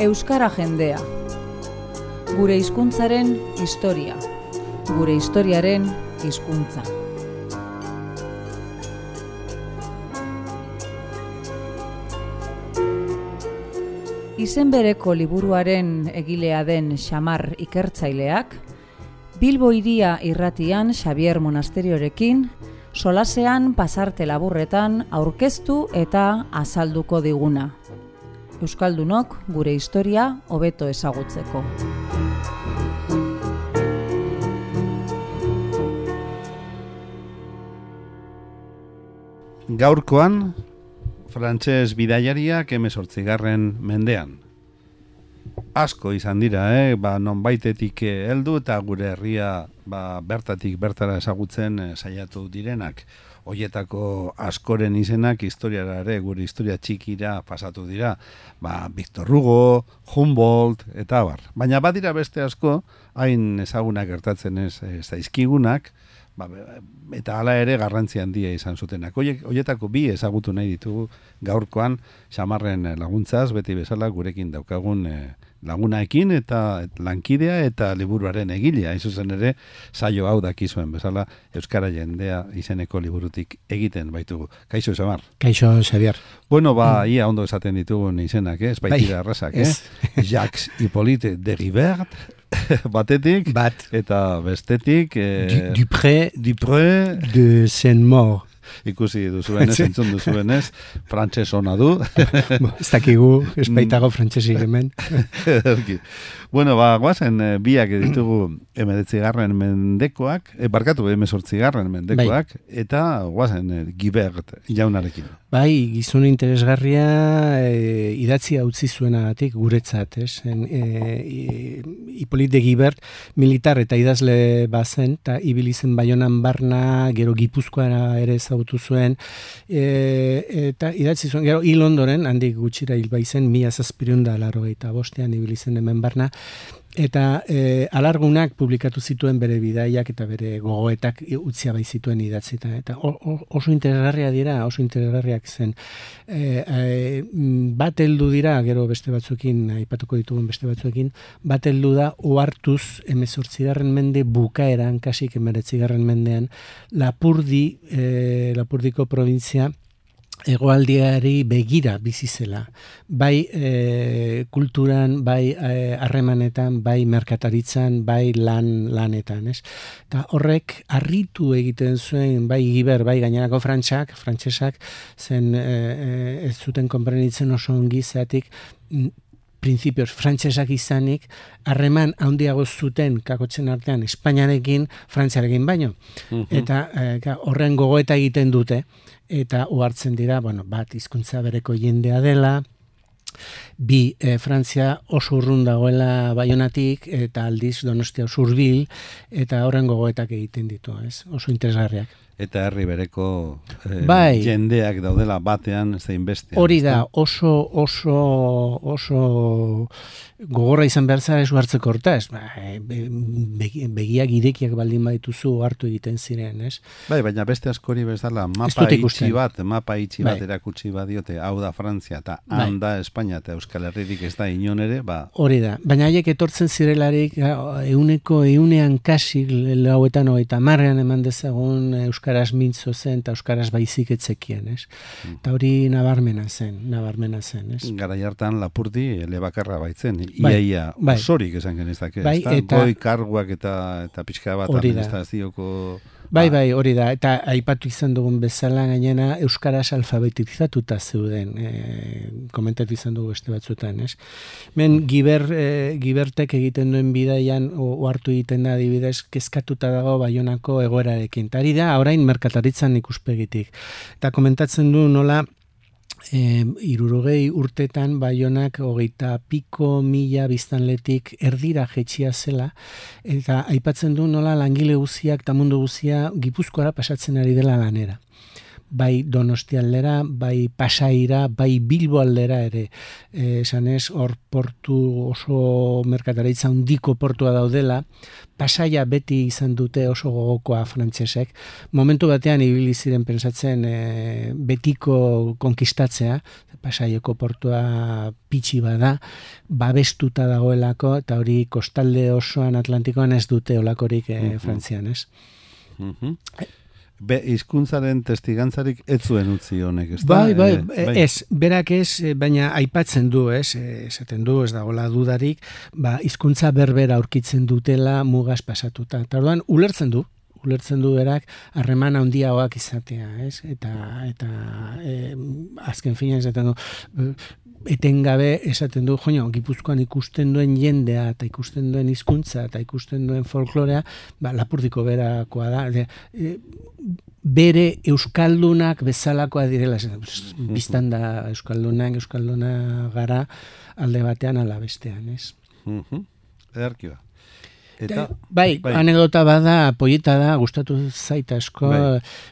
Euskara jendea. Gure hizkuntzaren historia. Gure historiaren hizkuntza. Izen bereko liburuaren egilea den Xamar ikertzaileak, Bilbo Hiria irratian Xabier Monasteriorekin, solasean pasarte laburretan aurkeztu eta azalduko diguna. Euskaldunok gure historia hobeto ezagutzeko. Gaurkoan, frantses bidaiariak 18. mendean. Asko izan dira, nonbaitetik heldu eta gure herria bertatik bertara ezagutzen saiatu direnak. Hoietako askoren izenak historiara ere, gure historia txikira pasatu dira. Victor Hugo, Humboldt eta abar. Baina badira beste asko, hain ezagunak gertatzen ez zaizkigunak, eta hala ere garrantzi handia izan zutenak. Hoietako bi ezagutu nahi ditugu gaurkoan Xamarren laguntzaz, beti bezala gurekin daukagun lagunaekin eta lankidea eta liburuaren egilea. Hain zuzen ere, saio hau dakizuen bezala Euskara jendea izeneko liburutik egiten baitugu. Kaixo, Xamar? Kaixo, Xavier. Bueno, ia ondo esaten ditugun izenak, ez baitira errazak, Jacques Hippolyte de Rivert, batetik, eta bestetik Dupré de Saint-Maur. Ikusi duzuenez, entzun duzuenez, frantses ona du. Ez dakigu, ez baitago frantsesik hemen. Bueno, guazen biak ditugu 19. mendekoak, 18. mendekoak, eta guazen Gibert jaunarekin. Bai, gizon interesgarria idatzia utzi zuenagatik guretzat, ez? Hippolyte de Gibert militar eta idazle bazen, eta ibili zen Baionan barna, gero Gipuzkoara ere ezagutu zuen, eta idatzi zuen, gero hil ondoren, handik gutxira hil baizen, 1785 ibili zen hemen barna, eta alargunak publikatu zituen bere bidaiak eta bere gogoetak utzia bai zituen idatzita. Eta oso interesgarria dira, oso interesgarriak zen. Bat heldu dira, gero beste batzuekin, aipatuko ditugun beste batzuekin, bat heldu da ohartuz 18. mende bukaeran, kasik 19. mendean, Lapurdiko provintzia hegoaldiari begira bizi zela. Bai kulturan, bai harremanetan, bai merkataritzan, bai lanetan, ez? Eta horrek harritu egiten zuen, bai Gibert, bai gainerako frantsesak, zen ez zuten konprenitzen oso ongi zeatik, printzipioz frantsesak izanik, harreman handiago zuten kakotzen artean Espainiarekin, Frantziarekin baino. Eta horren gogoeta egiten dute, eta ohartzen dira, bat hizkuntza bereko jendea dela, bi Frantzia oso urrun dagoela Baionatik, eta aldiz Donostia oso hurbil, eta horren gogoetak egiten ditu, ez? Oso interesgarriak. Eta herri bereko jendeak daudela batean zein bestean. Hori da, oso gogorra izan behar zara esu hartzeko hortaz. Begiak irekiak baldin badituzu hartu egiten ziren, ez? Baina beste askori bezala mapa itxi bat erakutsi badiote, hau da Frantzia eta handa Espainia eta Euskal Herririk ez da inon ere, Hori da, baina haiek etortzen zirelarik eunean kasik lauetan 30 eman dezagun Euskaraz mintzo zen eta Euskaraz baizik etzekien, ez? Eta hori nabarmena zen, ez? Garai hartan Lapurdi elebakarra baitzen, iaia osorik esan genezak, ez da? Goi karguak eta pixka bat administrazioko... Bai, hori da, eta aipatu izan dugun bezala gainera Euskaraz alfabetizatuta zeuden, komentatu izan dugu beste batzuetan, ez? Men Gibertek egiten duen bidaian ohartu egiten da adibidez kezkatuta dago Baionako egoerarekin. Eta hori da, orain merkataritzan ikuspegitik. Eta komentatzen du nola 60 urtetan Baionak 20.000 biztanletik erdira jetxia zela, eta aipatzen du nola langile guziak eta mundu guzia Gipuzkoara pasatzen ari dela lanera. bai Donosti aldera, bai Pasaira, bai Bilbo aldera ere. Esanez, hor portu oso merkataritza handiko portua daudela, Pasaia beti izan dute oso gogokoa frantsesek. Momentu batean ibili ziren pentsatzen betiko konkistatzea, Pasaiako portua pitxi bada, babestuta dagoelako, eta hori kostalde osoan Atlantikoan ez dute olakorik Frantzian, ez? Hizkuntzaren testigantzarik ez zuen utzi honek, ez da? Bai, ez, berak ez, baina aipatzen du, ez, esaten du, ez dagoela dudarik, hizkuntza berbera aurkitzen dutela mugaz pasatuta. Eta orduan, ulertzen du berak harreman handiagoak izatea, ez? Eta azken finean esaten du, etengabe esaten du, joño, Gipuzkoan ikusten duen jendea, eta ikusten duen hizkuntza, eta ikusten duen folklorea, Lapurdiko berakoa da. Bere euskaldunak bezalakoa direla, biztan da euskalduna gara alde batean ala bestean, ez? Ederki ba. Bai, anekdota bada, poieta da, gustatu zait asko,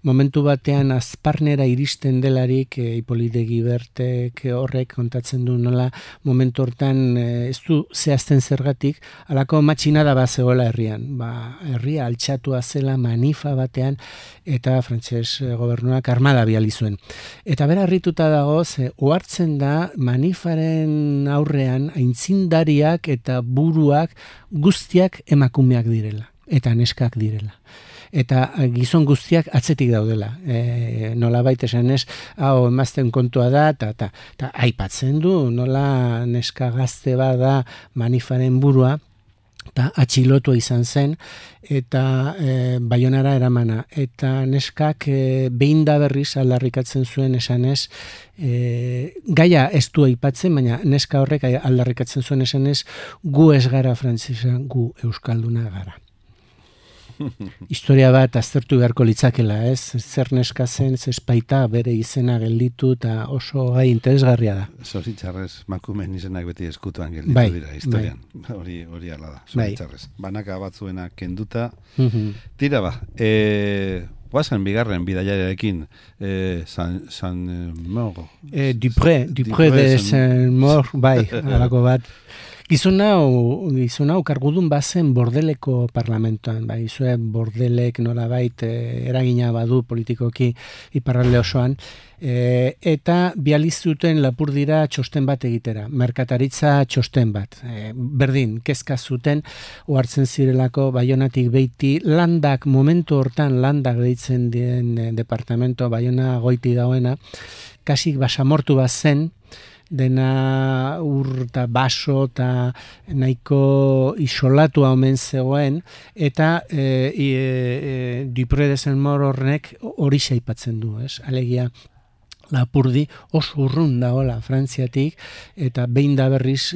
momentu batean Azparnera iristen delarik, Hipolite Gibertek horrek kontatzen du nola, momentu hortan ez du zehazten zergatik, alako matxinada bat zegoela herrian. Herria altxatua zela manifa batean, eta frantses gobernuak armada biali zuen. Eta bera harrituta dago, ohartzen da manifaren aurrean aintzindariak eta buruak guztiak emakumeak direla, eta neskak direla. Eta gizon guztiak atzetik daudela. Nolabait esanez, hau emazten kontua da, eta aipatzen du, nola neska gazte bada manifaren burua, eta atxilotua izan zen, eta Baionara eramana. Eta neskak behin da berriz aldarrikatzen zuen esanez, gaia ez du aipatzen, baina neska horrek aldarrikatzen zuen esanez, gu ez gara frantsesa, gu euskalduna gara. Historia bat aztertu beharko litzakela, ez? Zer neska zen, zespaita bere izena gelditu, eta oso gai interesgarria da. Zoritxarrez, makumen izenak beti eskutuan gelditu dira historian. Hori ala da, zoritxarrez. Banaka batzuena kenduta. Tira ba, guazen bigarren bidaiarekin, Saint-Maur. Dupré de Saint-Maur, bai, alako bat. Gizon hau kargudun bazen Bordeleko parlamentoan, Bordelek nolabait eragina badu politikoki iparralde osoan, eta bializuten Lapurdira txosten bat egitera, merkataritza txosten bat. Berdin, kezka zuten, ohartzen zirelako Baionatik beiti, momentu hortan landak deitzen dien departamento, Baiona goiti dagoena, kasik basamortu bat zen, dena ur eta baso eta nahiko isolatua omen zegoen, eta Dupré de Saint-Maur hornek hori aipatzen du, ez? Alegia, Lapurdi oso urrun dagoela Frantziatik, eta behin da berriz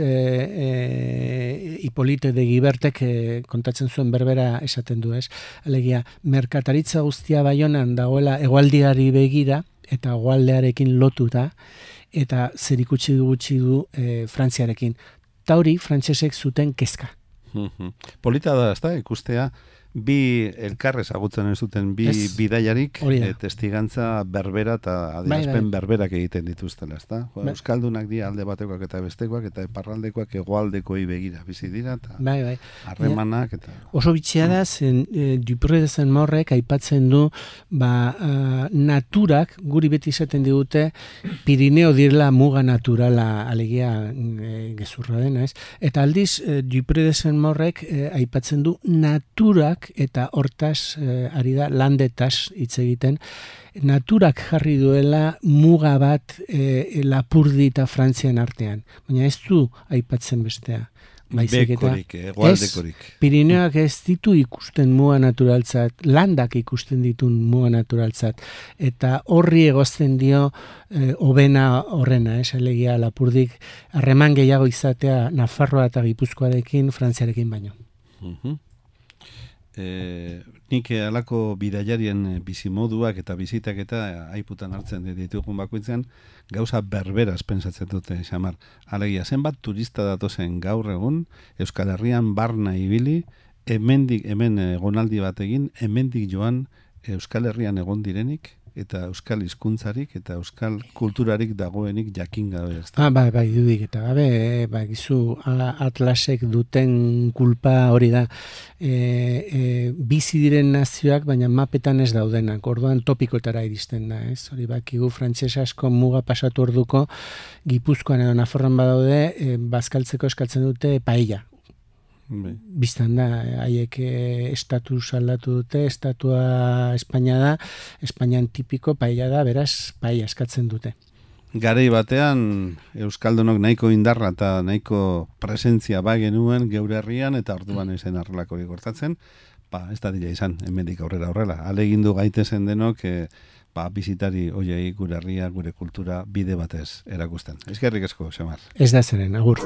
Hipolite de Gibertek kontatzen zuen berbera esaten du, ez? Alegia, merkataritza guztia Baionan dagoela hegoaldiari begira, eta hegoaldearekin lotuta, eta zerikutsi gutxi du Frantziarekin. Ta hori, frantsesek zuten kezka. Polita da, ezta, ikustea, bi elkarrez agutzen zuten bi bidaiarik, testigantza berbera eta adierazpen berberak egiten dituztela, ezta? Euskaldunak dira alde batekoak eta bestekoak, eta iparraldekoak hegoaldekoi begira bizi dira, eta harremanak. Oso bitxia da, Dupré de Saint-Maurrek aipatzen du, naturak, guri beti izaten digute, Pirineo direla muga naturala, alegia gezurra dena, ez? Eta aldiz, Dupré de Saint-Maurrek aipatzen du, naturak eta hortaz ari da landetaz hitz egiten, naturak jarri duela muga bat Lapurdi eta Frantzian artean, baina ez du aipatzen bestea. Bekorik, egoaldekorik. Pirineoak ez ditu ikusten muga naturaltzat, landak ikusten ditun muga naturaltzat, eta horri egozten dio hobena horrena, alegia Lapurdik harreman gehiago izatea Nafarroa eta Gipuzkoarekin, Frantziarekin baino. Nik alako bidaiarien bizimoduak eta bizitak eta aiputan hartzen ditugun bakoitzean gauza berberaz pentsatzen dute, xamar. Alegia, zenbat turista datozen gaur egun, Euskal Herrian barna ibili, hemen egonaldi bat egin, hemendik joan Euskal Herrian egon direnik, eta euskal hizkuntzarik eta euskal kulturarik dagoenik jakin gabe. Bai, dudik eta gabe, gizu Atlasek duten kulpa hori da. Bizi diren nazioak, baina mapetan ez daudenak, orduan topikotara iristen da, ez? Hori bakigu frantses asko muga pasatu orduko, Gipuzkoan edo Nafarroan badaude, bazkaltzeko eskatzen dute paella. Biztan da, haiek estatus aldatu dute, estatua Espainia da, Espainian tipiko paella da, beraz, paella eskatzen dute. Garei batean, euskaldunok nahiko indarra eta nahiko presentzia genuen geure herrian, eta orduan ezen arrelako hori gortatzen, ez da dira izan, hemendik aurrera horrela. Alegindu gaitezen denok, bizitari hoiei gure herria, gure kultura bide batez erakusten. Eskerrik asko, Xamar. Ez da zeren, agur.